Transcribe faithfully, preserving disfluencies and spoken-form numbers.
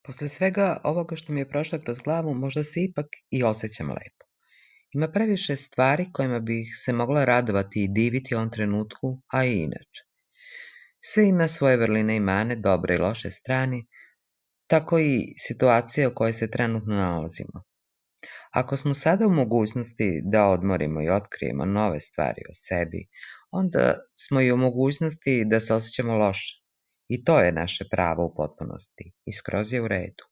Posle svega ovoga što mi je prošlo kroz glavu, možda se ipak i osjećam lepo. Ima previše stvari kojima bih se mogla radovati i diviti u ovom trenutku, a i inače. Sve ima svoje vrline i mane, dobre i loše strane, tako i situacije u kojoj se trenutno nalazimo. Ako smo sada u mogućnosti da odmorimo i otkrijemo nove stvari o sebi, onda smo i u mogućnosti da se osjećamo loše. I to je naše pravo u potpunosti i skroz je u redu.